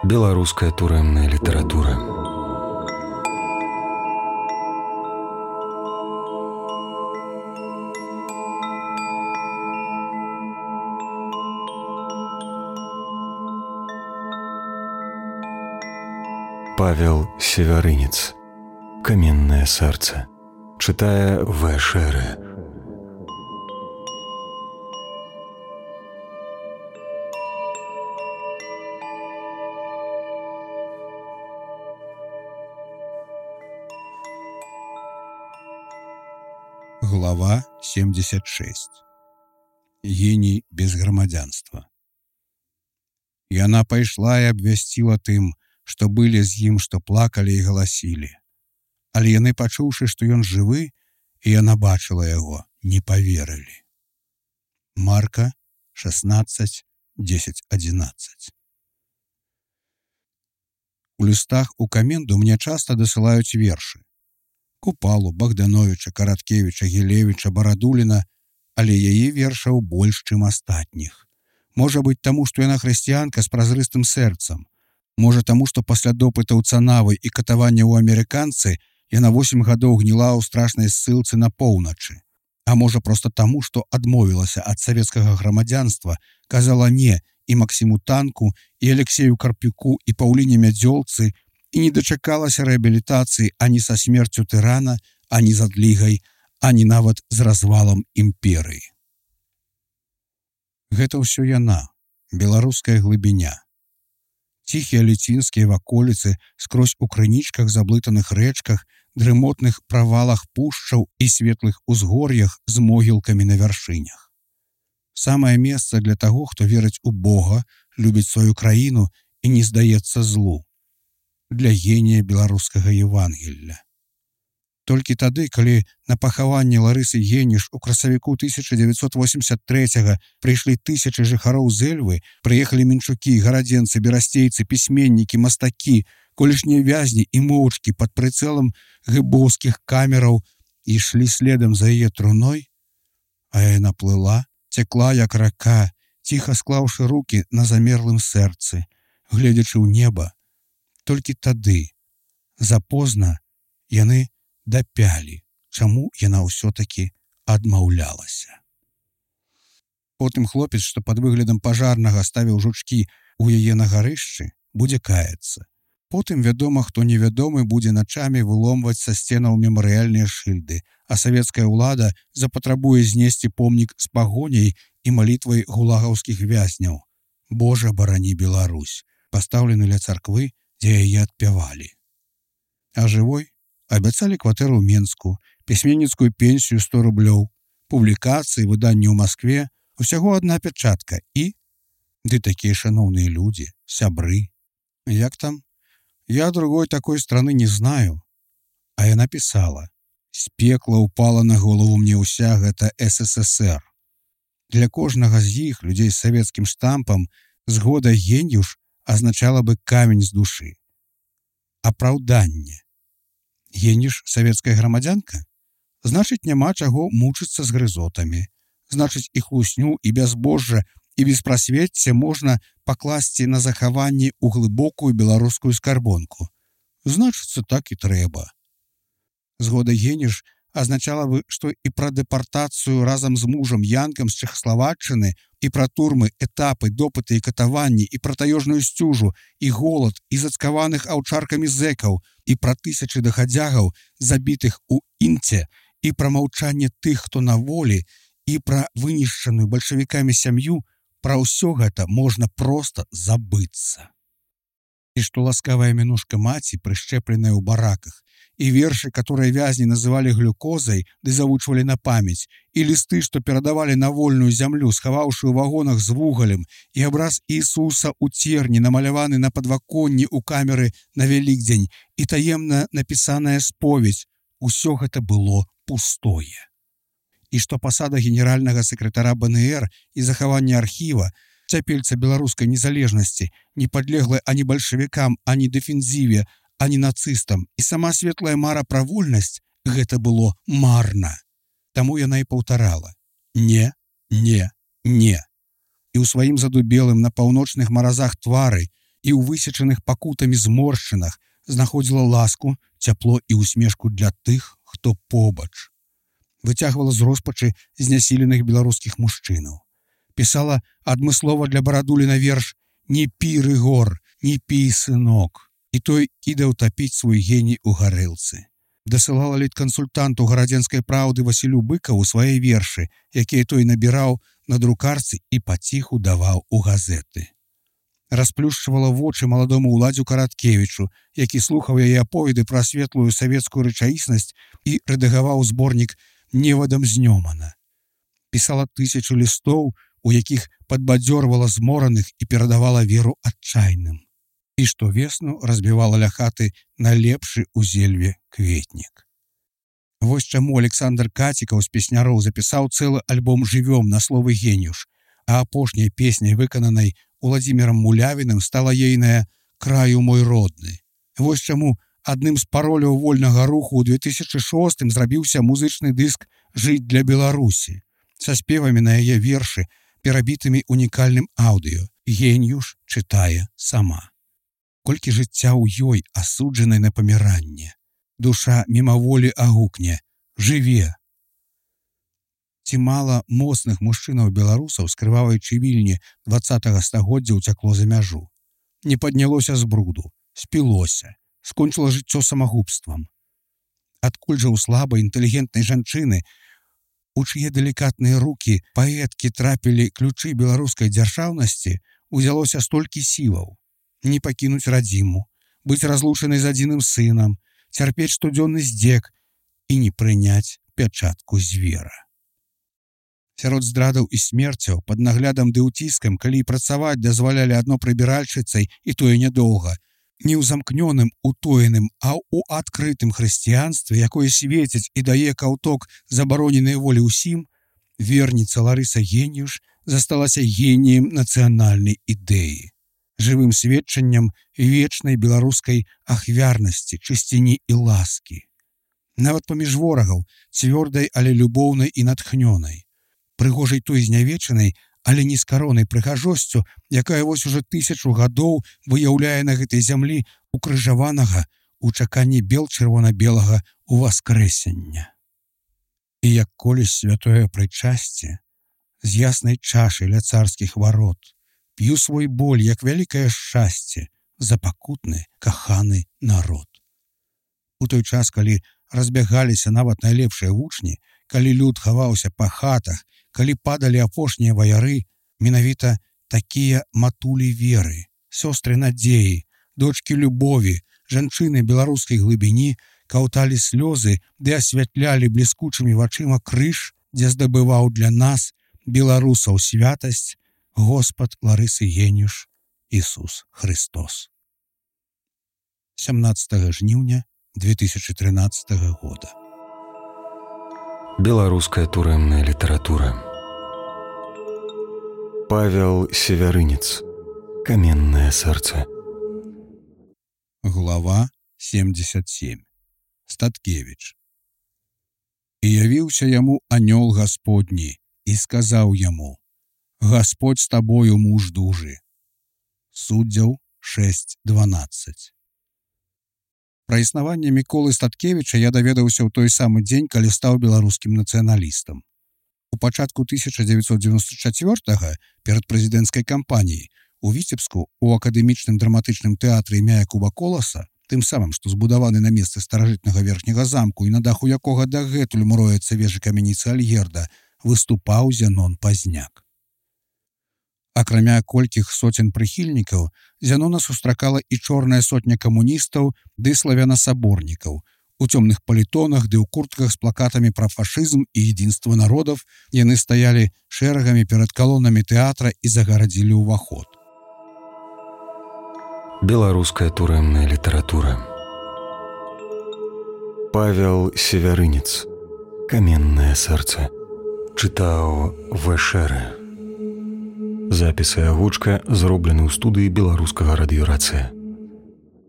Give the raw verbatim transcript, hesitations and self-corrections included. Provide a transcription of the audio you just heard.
Беларуская турэмная літаратура. Павел Севярынец. Каменное сердце. Читая В. Шере. Глава семьдесят шесть. Гений без грамадзянства. Яна пайшла і абвясціла тым, што былі з ім, што плакалі і галасілі. Але яны, пачуўшы, што ён жывы, і яна бачыла яго, не паверылі. Марка шестнадцать десять одиннадцать. У лістах у каменду мне часта дасылаюць вершы. Купалу, Богдановича, Караткевича, Гілевіча, Барадуліна, але яе вершаў больш, чым астатніх. Можа быць таму, што яна хрысціянка з празрыстым сэрцам. Можа таму, што пасля допытаў Цанавы і катавання ў амерыканцы яна восем гадоў гніла ў страшнай ссылцы на поўначы. А можа проста таму, што адмовілася ад савецкага грамадзянства, казала не і Максіму Танку, і Алексею Карпюку, і Паўліне Мядзёлцы, і не дачакалася рэабілітацыі ані са смерцю тырана, ані з адлігай, ані нават з развалам імперыі. Гэта ўсё яна, беларуская глыбіня. Ціхія ліцінскія ваколіцы скрозь у крынічках, заблытаных рэчках, дрымотных правалах пушчаў і светлых узгор'ях з могілкамі на вяршынях. Самае месца для таго, хто верыць у Бога, любіць сваю краіну і не здаецца злу. Для генія беларускага Евангелля. Толькі тады, калі на пахаванне Ларысы Геніш у красавіку тысяча девятьсот восемьдесят третьего прыйшлі тысячы жыхароў з Эльвы, прыехалі мінчукі, гарадзенцы, берасцейцы, пісьменнікі, мастакі, колішнія вязні і моўчкі пад прыцэлам гыбоўскіх камераў і ішлі следам за яе труной, а яна плыла, цякла як рака, ціха склаўшы рукі на замерлым сэрцы, гледзячы ў неба. Толькі тады, запозна, яны дапялі, чаму яна ўсё-такі адмаўлялася. Потым хлопец, што пад выглядам пажарнага ставіў жучкі ў яе на гарышчы, будзе каяцца. Потым, вядома, хто невядомы будзе начамі выломваць са сценаў мемарыяльныя шыльды, а савецкая ўлада запатрабуе знесці помнік з пагоняй і малітвай гулагаўскіх вязняў. Божа, барані Беларусь, пастаўлены ля царквы, дзе яе адпявалі. А жывой абяцалі кватэру ў Менску, пісьменніцкую пенсію сто рублёў, публікацыі, выданні ў Маскве, усяго адна пячатка і... Ды такія шаноўныя людзі, сябры. Як там? Я другой такой страны не знаю. А яна пісала: «З пекла ўпала на голову мне ўся гэта эс эс эс эр». Для кожнага з іх, людзей з савецкім штампам, згода геньюш азначала бы камень з душы. Апраўданне. Геніш савецкая грамадзянка? Значыць, няма чаго мучыцца з грызотамі. Значыць, і хлусню, і бязбожжа, і беспрасвецце можна пакласці на захаванне ў глыбокую беларускую скарбонку. Значыцца, так і трэба. Згода геніш азначала бы, што і пра дэпартацыю разам з мужам Янкам з Чэхаславаччыны, і пра турмы, этапы, допыты і катаванні, і пра таёжную сцюжу, і голад, і зацкаваных аўчаркамі зэкаў, і пра тысячы дахадзягаў, забітых у інце, і пра маўчанне тых, хто на волі, і пра вынішчаную бальшавікамі сям'ю, пра ўсё гэта можна проста забыцца. І што ласкавая мінушка маці, прышчэпленая ў бараках, і вершы, которые вязні называлі глюкозай, ды завучвалі на памяць, і лісты, што перадавалі на вольную зямлю, схаваўшы ў вагонах з вугалем, і абраз Ісуса ў церні, намаляваны на падваконні ў камеры на Вялікдзень, і таемна напісаная споведь, усё гэта было пустое. І што пасада генеральнага сакратара бэ эн эр і захаванне архіва, цяпельца беларускай незалежнасці, не падлеглая ані бальшавікам, ані дэфензіве, ані нацыстам, і сама светлая мара пра вольнасць, гэта было марна. Таму яна і паўтарала: не, не, не. І ў сваім задубелым на паўночных маразах твары і ў высечаных пакутамі зморшчынах знаходзіла ласку, цяпло і усмешку для тых, хто побач. Выцягвала з роспачы знясіленых беларускіх мужчынаў. Пісала адмыслова для барадуліна верш «Не пі, Рыгор, не пі, сынок». І той кідаў тапіць свой геній у гарэлцы. Дасылала літкансультанту гарадзенскай праўды Васілю Быкаву свае вершы, якія той набіраў на друкарцы і паціху даваў у газеты. Расплюшчвала вочы маладому Уладзю Караткевічу, які слухаў яе аповеды пра светлую савецкую рэчаіснасць і рэдагаваў зборнік «Невадам знёмана». Пісала тысячу лістоў, у якіх падбадзёрвала змораных і перадавала веру адчайным. І штовесну разбівала ля хаты найлепшы ў зельве кветнік. Вось чаму Александр Кацікаў з песняроў запісаў цэлы альбом «Жывём» на словы «Генюш», а апошняй песняй, выкананай Уладзімірам Мулявіным, стала ейная «Краю мой родны». Вось чаму адным з пароляў вольнага руху ў две тысячы шостым зрабіўся музычны дыск «Жыць для Беларусі» са спевамі на яе вершы, перабітымі унікальным аўдыё. Генюш чытае сама. Колькі жыцця ў ёй, асуджанай на паміранне. Душа мімаволі агукне «Жыве!». Ці мала моцных мужчынаў-беларусаў з крывавай чывільні дваццатага стагоддзя ўцякло за мяжу. Не паднялося з бруду, спілося, скончыла жыццё самагубствам. Адкуль жа ў слабай інтэлігентнай жанчыны, у чые далікатныя рукі паэткі трапілі ключы беларускай дзяржаўнасці, узялося столькі сілаў? Не пакінуць радзіму, быць разлучанай з адзіным сынам, цярпець штодзённы здзек і не прыняць пячатку звера. Сярод здрадаў і смерцяў, пад наглядам ды ўціскам, калі і працаваць дазвалялі адно прыбіральшыцай, і тое нядоўга, не ў замкнёным, утоеным, а ў адкрытым хрысціянстве, якое свеціць і дае каўток забароненай волі ўсім, верніца Ларыса Генюш засталася геніем нацыянальнай ідэі, жывым сведчаннем вечнай беларускай ахвярнасці, чысціні і ласкі. Нават паміж ворагаў, цвёрдай, але любоўнай і натхнёнай. Прыгожай той знявечанай, але нескаронай прыгажосцю, якая вось ужо тысячу гадоў выяўляе на гэтай зямлі укрыжаванага ў чаканні бел чырвона-белага уваскрэсення. І як колісь святое прычасце, з яснай чашай ля царскіх варот, п'ю свой боль, як вялікае шчасце, за пакутны, каханы народ. У той час, калі разбягаліся нават найлепшыя вучні, калі люд хаваўся па хатах, калі падалі апошнія ваяры, менавіта такія матулі веры, сёстры надзеі, дочкі любові, жанчыны беларускай глыбіні каўталі слёзы ды асвятлялі бліскучымі вачыма крыж, дзе здабываў для нас, беларусаў, святасць Господ Ларысы Генюш Ісус Христос. сямнадцатага жніўня две тысячы трынаццатага года. Беларуская турэмная літаратура. Павел Севярынец. Каменное сэрца. Глава семьдесят семь. Статкевіч. І явіўся яму анёл Гасподні і сказаў яму: Господь з табою, муж дужы. Суддзяў шэсць дванаццаць. Пра існаванне Міколы Статкевіча я даведаўся ў той самы дзень, калі стаў беларускім нацыяналістам. У пачатку тысяча дзевяцьсот дзевяносто чацвёртага, перад прэзідэнцкай кампаніяй, у Віцебску, у акадэмічным драматычным тэатры імя Якуба Коласа, тым самым, што збудаваны на месцы старажытнага верхняга замку і на даху якога дагэтуль муроецца вежы камяніцы Альгерда, выступаў Зянон Пазняк. Акрамя колькіх соцень прыхільнікаў, Зянона сустракала і чорная сотня камуністаў ды славянасаборнікаў. У цёмных палітонах ды ў куртках з плакатамі пра фашызм і единство народов яны стаялі шэрагамі перад калонамі тэатра і загарадзілі ўваход. Беларуская турэмная літаратура. Павел Севярынец. Каменное сэрца. Чытаў Вэшэрэ. Запіс і агучка зроблены ў студыі беларускага радыёрацыя.